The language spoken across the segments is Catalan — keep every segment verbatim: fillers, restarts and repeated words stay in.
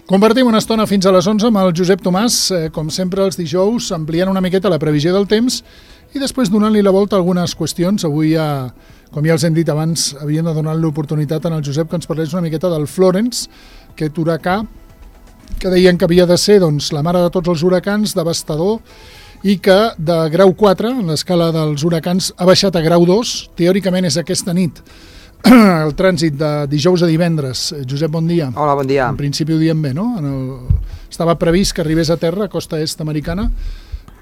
Compartim una estona fins a les onze amb el Josep Tomàs, eh, com sempre els dijous, ampliant una miqueta la previsió del temps i després donant-li la volta a algunes qüestions. Avui, ja, com ja els hem dit abans, havíem de donar l'oportunitat en el Josep que ens parlés una miqueta del Florence, aquest huracà que deien que havia de ser doncs, la mare de tots els huracans, devastador, i que de grau quatre, en l'escala dels huracans, ha baixat a grau dos. Teòricament és aquesta nit el trànsit de dijous a divendres. Josep, bon dia. Hola, bon dia. En principi ho diem bé, no? En el... Estava previst que arribés a terra, a costa est americana,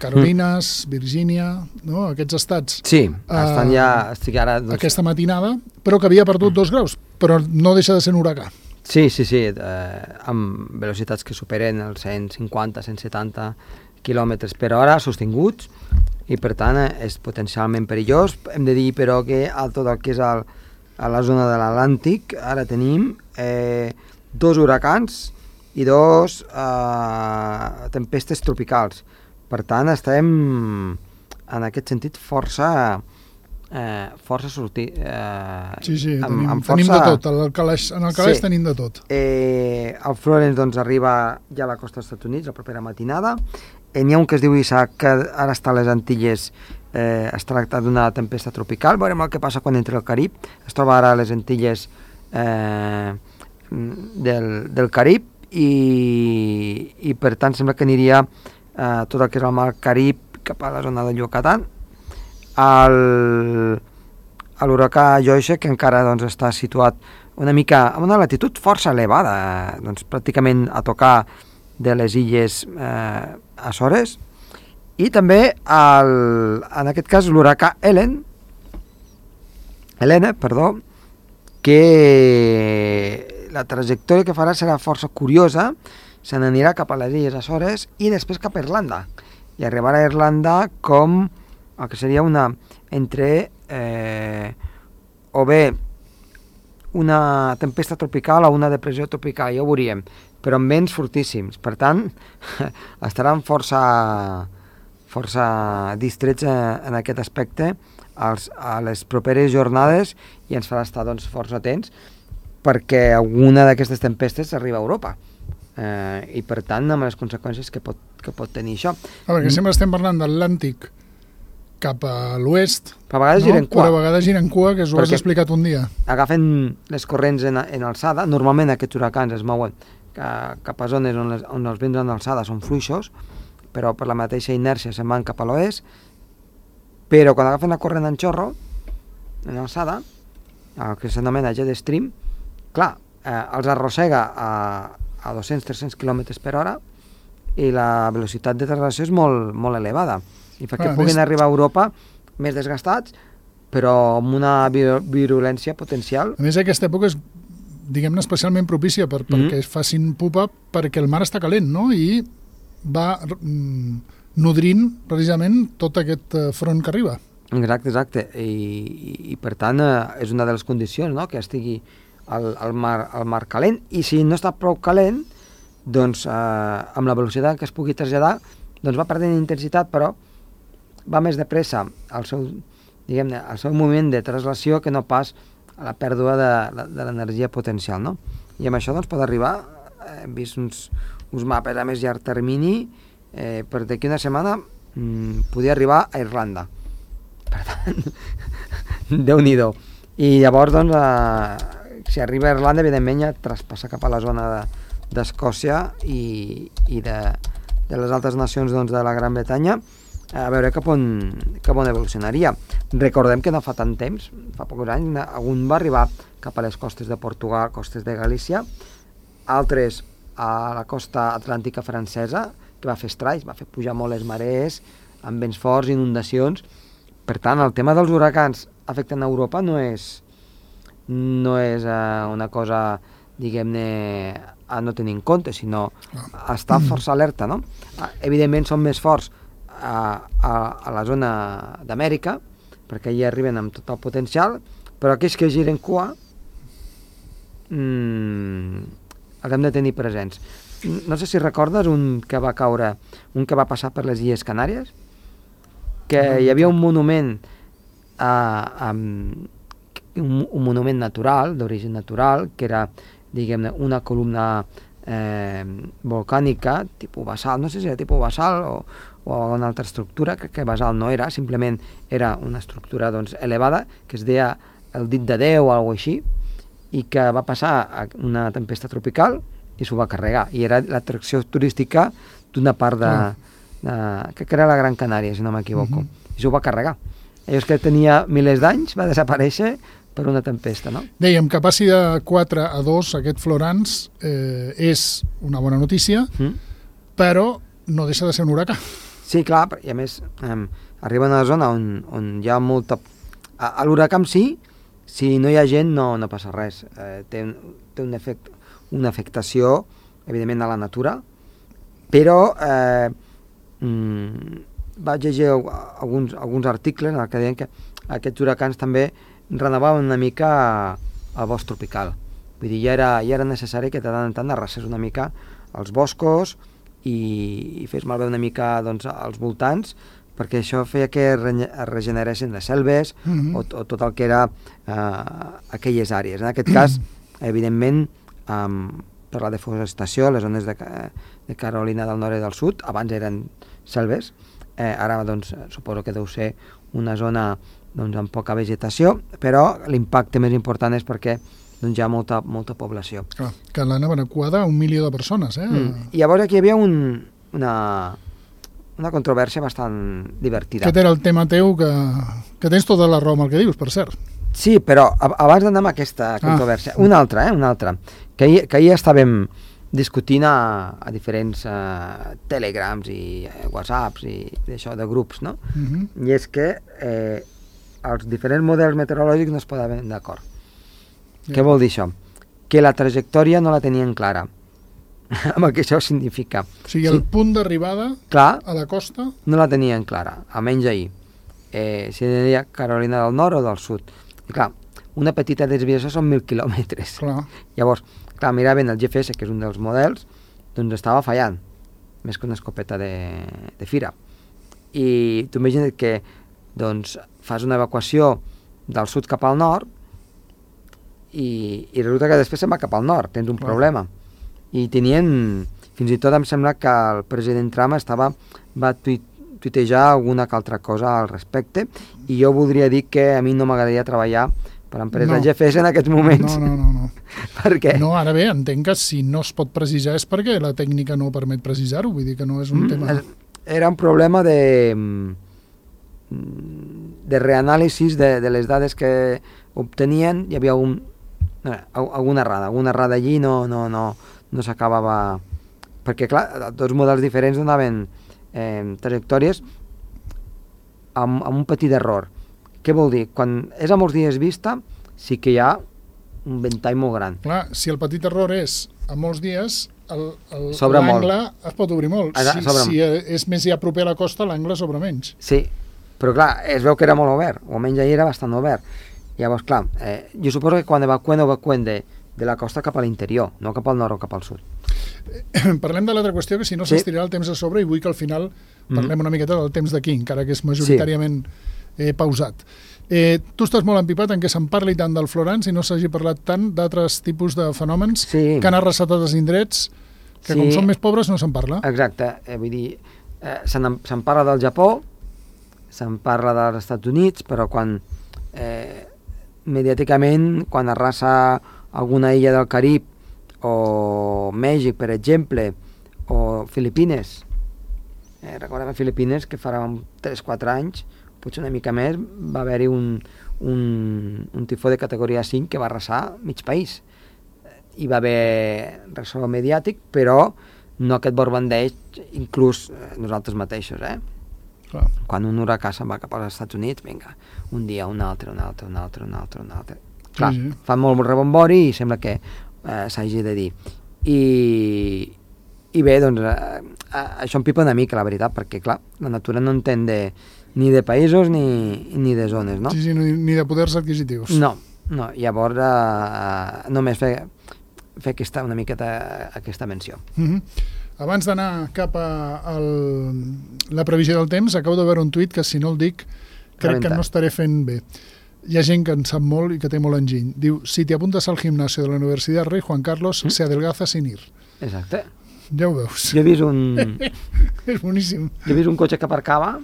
Carolines, mm. Virgínia, no? Aquests estats. Sí, estan uh, ja... Estic ara, doncs... Aquesta matinada, però que havia perdut mm. dos graus, però no deixa de ser un huracà. Sí, sí, sí, eh, amb velocitats que superen els cent cinquanta, cent setanta quilòmetres per hora sostinguts, i per tant és potencialment perillós. Hem de dir, però, que a tot el que és el, a la zona de l'Atlàntic ara tenim eh, dos huracans i dos eh, tempestes tropicals. Per tant, estem en aquest sentit força eh, força sortir eh, sí, sí, amb, tenim, amb força... tenim de tot, en el calaix, en el calaix sí. Tenim de tot. Eh, el Florence doncs, arriba ja a la costa dels Estats Units la propera matinada. Eh, N'hi ha un que es diu Isaac, que ara està a les Antilles. Eh, es tracta d'una tempesta tropical. Veurem el que passa quan entra al Carib. Es troba ara a les Antilles eh, del, del Carib i, i per tant sembla que aniria eh, tot el que és el mar Carib cap a la zona de Yucatán. El, l'huracà Joyce, que encara doncs, està situat una mica a una latitud força elevada, eh, doncs, pràcticament a tocar de les illes eh, Açores, i també el, en aquest cas l'huracà Helen Helena, perdó, que la trajectòria que farà serà força curiosa. Se n'anirà cap a les illes Açores i després cap a Irlanda, i arribarà a Irlanda com el que seria una entre eh, o bé una tempesta tropical o una depressió tropical, ja ho veuríem, però amb vents fortíssims. Per tant, estaran força força distrets en aquest aspecte als, a les properes jornades, i ens farà estar doncs, força atents, perquè alguna d'aquestes tempestes arriba a Europa. Eh, i per tant amb les conseqüències que pot, que pot tenir això. A veure, que sempre estem parlant d'Atlàntic cap a l'oest, però a vegades no? giren cua. Però a vegades giren cua, que us ho has explicat un dia. Agafen les corrents en, en alçada. Normalment aquests huracans es mouen cap a zones on, les, on els vents en alçada són fluixos, però per la mateixa inèrcia se'n van cap a l'oest. Però quan agafen la corrent en xorro, en alçada, el que s'anomena jet stream, clar, eh, els arrossega a, a dos-cents a tres-cents quilòmetres per hora, i la velocitat de traslació és molt, molt elevada, i fa que ah, puguin més... arribar a Europa més desgastats, però amb una virulència potencial. A més, aquesta època és, diguem-ne, especialment propícia per, mm-hmm. perquè es facin pupa, perquè el mar està calent, no? I va mm, nodrint precisament tot aquest front que arriba. Exacte, exacte. I, i, i per tant eh, és una de les condicions, no?, que estigui el, el, mar, el mar calent, i si no està prou calent, doncs eh, amb la velocitat que es pugui traslladar, doncs va perdent intensitat, però va més de pressa al seu, diguem-ne, al seu moment de traslació que no pas a la pèrdua de, de l'energia potencial, no? I amb això doncs pot arribar, hem vist uns, uns mapes a més llarg termini, eh, per d'aquí una setmana mmm, podia arribar a Irlanda. Per tant, Déu-n'hi-do. I llavors, doncs, eh, si arriba a Irlanda, evidentment ja traspassa cap a la zona de, d'Escòcia i, i de, de les altres nacions doncs, de la Gran Bretanya, a veure cap on, cap on evolucionaria. Recordem que no fa tant temps, fa pocs anys, algun va arribar cap a les costes de Portugal, costes de Galícia, altres a la costa atlàntica francesa, que va fer estralls, va fer pujar molt les marees, amb vents forts, inundacions. Per tant, el tema dels huracans afectant a Europa no és, no és eh, una cosa, diguem-ne, a no tenir en compte, sinó a estar força alerta, no? Evidentment són més forts a, a, a la zona d'Amèrica, perquè allà arriben amb tot el potencial, però aquells que giren cua mmm, els hem de tenir presents. No sé si recordes un que va caure, un que va passar per les Illes Canàries, que hi havia un monument a, a, un, un monument natural, d'origen natural, que era, diguem-ne, una columna eh, volcànica, tipus basalt, no sé si era tipus basalt o, o una altra estructura, crec que basalt no era, simplement era una estructura doncs, elevada, que es deia el dit de Déu o alguna cosa així, i que va passar a una tempesta tropical i s'ho va carregar, i era l'atracció turística d'una part de, de... crec que era la Gran Canària, si no m'equivoco, uh-huh. i s'ho va carregar. Allò que tenia milers d'anys va desaparèixer per una tempesta, no? Dèiem que passi de quatre a dos aquest Florence eh, és una bona notícia, mm. però no deixa de ser un huracà. Sí, clar, i a més eh, arriba a una zona on, on hi ha molta... A, a l'huracà en si, si no hi ha gent no, no passa res. Eh, té un, té un efecte, una afectació, evidentment, a la natura, però eh, mm, vaig llegir alguns, alguns articles en què deien que aquests huracans també renovaven una mica el bosc tropical. Vull dir, ja era, ja era necessari que de tant en tant arrasés una mica els boscos i, i fes malbé una mica doncs, als voltants, perquè això feia que es regeneressin les selves mm-hmm. o, o tot el que era eh, aquelles àrees. En aquest cas, evidentment, um, per la deforestació, les zones de, de Carolina del Nord i del Sud, abans eren selves, eh, ara doncs, suposo que deu ser una zona doncs, amb poca vegetació, però l'impacte més important és perquè doncs, hi ha molta, molta població. Clar, que l'han evacuada un milió de persones, eh? Mm. I llavors aquí hi havia un, una, una controvèrsia bastant divertida. Aquest era el tema teu, que, que tens tota la raó amb el que dius, per cert. Sí, però abans d'anar amb aquesta controvèrsia, ah. una altra, eh? una altra, que ahir, que ahir estàvem discutint a, a diferents uh, telegrams i uh, whatsapps i d'això, de grups, no? Uh-huh. I és que eh, els diferents models meteorològics no es poden d'acord. Yeah. Què vol dir això? Que la trajectòria no la tenien clara. Amb el que això significa. O sigui, el sí. punt d'arribada a la costa... No la tenien clara, almenys ahir. Eh, si deia Carolina del Nord o del Sud. I clar, una petita desviació són mil quilòmetres. Clar. Llavors, clar, miraven el G P S, que és un dels models, doncs estava fallant, més que una escopeta de, de fira. I tu imagina't que doncs, fas una evacuació del sud cap al nord i, i resulta que després se'n va cap al nord, tens un Clar. problema. I tenien, fins i tot em sembla que el president Trump estava, va tuit, tuitejar alguna que altra cosa al respecte, i jo voldria dir que a mi no m'agradaria treballar per l'empresa no. G P S en aquests moments. No, no, no. no. Per què? No, ara bé, entenc que si no es pot precisar és perquè la tècnica no permet precisar-ho, vull dir que no és un mm, tema... Era un problema de... de reanàlisis de, de les dades que obtenien, hi havia un, eh, alguna errada, alguna errada allí no, no, no, no s'acabava, perquè clar, dos models diferents donaven eh, trajectòries amb, amb un petit error. Què vol dir? Quan és a molts dies vista, sí que hi ha un ventall molt gran. Clar, si el petit error és a molts dies, l'angle es pot obrir molt. Ah, si, si és més ja proper a la costa, l'angle s'obre menys. Sí, però clar, es veu que era molt obert, o almenys ahir era bastant obert. Llavors, clar, eh, jo suposo que quan evacuen, evacuen de, de la costa cap a l'interior, no cap al nord o cap al sud. Eh, parlem de l'altra qüestió, que si no sí. s'estirarà el temps a sobre, i vull que al final parlem mm. una miqueta del temps d'aquí, encara que és majoritàriament sí. eh, pausat. Eh, tu estàs molt empipat en què se'n parli tant del Florence i no s'hagi parlat tant d'altres tipus de fenòmens sí. que han arrasat als indrets, que sí. com són més pobres no se'n parla. Exacte, eh, vull dir, eh, se'n se parla del Japó, se'n parla dels Estats Units, però quan eh, mediàticament, quan arrasa alguna illa del Carib o Mèxic, per exemple, o Filipines, eh, recordem a Filipines que farà tres o quatre anys, potser una mica més, va haver-hi un, un, un tifó de categoria cinc que va arrasar mig país. Hi va haver ressò mediàtic, però no aquest borbandeig, inclús nosaltres mateixos, eh? Clar. Quan un huracà se'n va cap als Estats Units, vinga, un dia, un altre, un altre, un altre, un altre, un altre. Clar, sí, sí. Fa molt rebombori i sembla que eh, s'hagi de dir. I, i bé, doncs, eh, això em pipa una mica, la veritat, perquè, clar, la natura no entén de, ni de països ni, ni de zones, no? Sí, sí, ni de poders adquisitius. No, no, llavors eh, només fer, fer aquesta, una miqueta aquesta menció. Mm-hmm. Abans d'anar cap a el, la previsió del temps, acabo de veure un tuit que, si no el dic, crec Rebenta. que no estaré fent bé. Hi ha gent que en sap molt i que té molt enginy. Diu, si te apuntas al gimnasio de la Universidad Rey Juan Carlos, mm? se adelgaza sin ir. Exacte. Ja ho veus. Jo he vist un... És boníssim. Jo he vist un cotxe que aparcava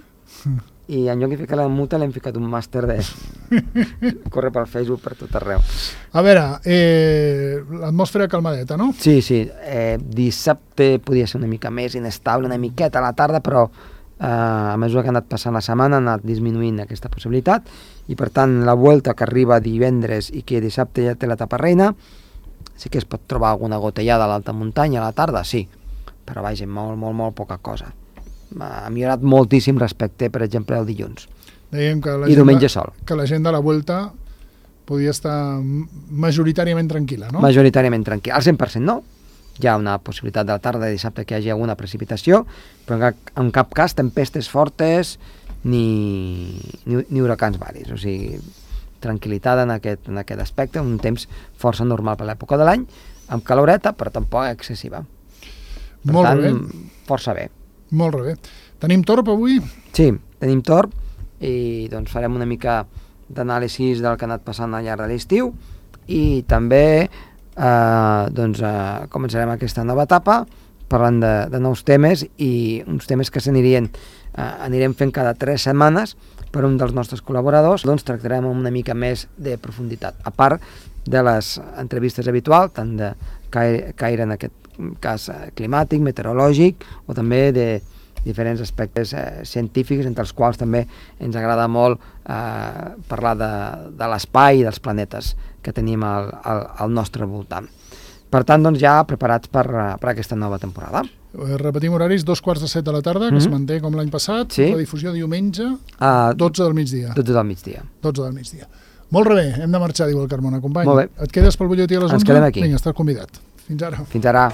i en lloc de ficar la multa l'hem ficat un màster de... Corre pel Facebook per tot arreu. A veure, eh, l'atmosfera calmadeta, no? Sí, sí. Eh, dissabte podia ser una mica més inestable, una miqueta a la tarda, però eh, a mesura que ha anat passant la setmana ha anat disminuint aquesta possibilitat i per tant la volta que arriba divendres i que dissabte ja té l'etapa reina, sí que es pot trobar alguna gotellada a l'alta muntanya a la tarda, sí, però vaja, molt, molt, molt poca cosa. Ha millorat moltíssim respecte, per exemple, al dilluns. Dèiem que la I gent diumenge de, sol. Que la gent de la Vuelta podia estar majoritàriament tranquil·la, no? Majoritàriament tranquil·la. Al cent per cent no. Hi ha una possibilitat de la tarda de dissabte que hi hagi alguna precipitació, però en cap, en cap cas tempestes fortes ni, ni, ni huracans varis. O sigui, tranquil·litat en aquest, en aquest aspecte, un temps força normal per l'època de l'any, amb caloreta, però tampoc excessiva. Per Molt tant, bé. força bé. Molt bé. Tenim torb avui? Sí, tenim torb i doncs farem una mica d'anàlisi del que ha anat passant al llarg de l'estiu i també eh, doncs, eh, començarem aquesta nova etapa parlant de, de nous temes i uns temes que s'anirien eh, anirem fent cada tres setmanes per un dels nostres col·laboradors, doncs tractarem amb una mica més de profunditat, a part de les entrevistes habituals, tant de caire, caire en aquest cas climàtic, meteorològic o també de diferents aspectes eh, científics, entre els quals també ens agrada molt eh, parlar de, de l'espai i dels planetes que tenim al, al, al nostre voltant. Per tant, doncs ja preparats per, per aquesta nova temporada. Repetim horaris, dos quarts de set de la tarda, que mm-hmm. es manté com l'any passat, sí. La difusió diumenge, uh, dotze del migdia. dotze del migdia. dotze del migdia. Molt bé, hem de marxar, diu el Carmona, company. Molt bé. Et quedes pel butlletí a les onze? Ens quedem aquí. Vinga, estàs convidat. Fins ara. Fins ara.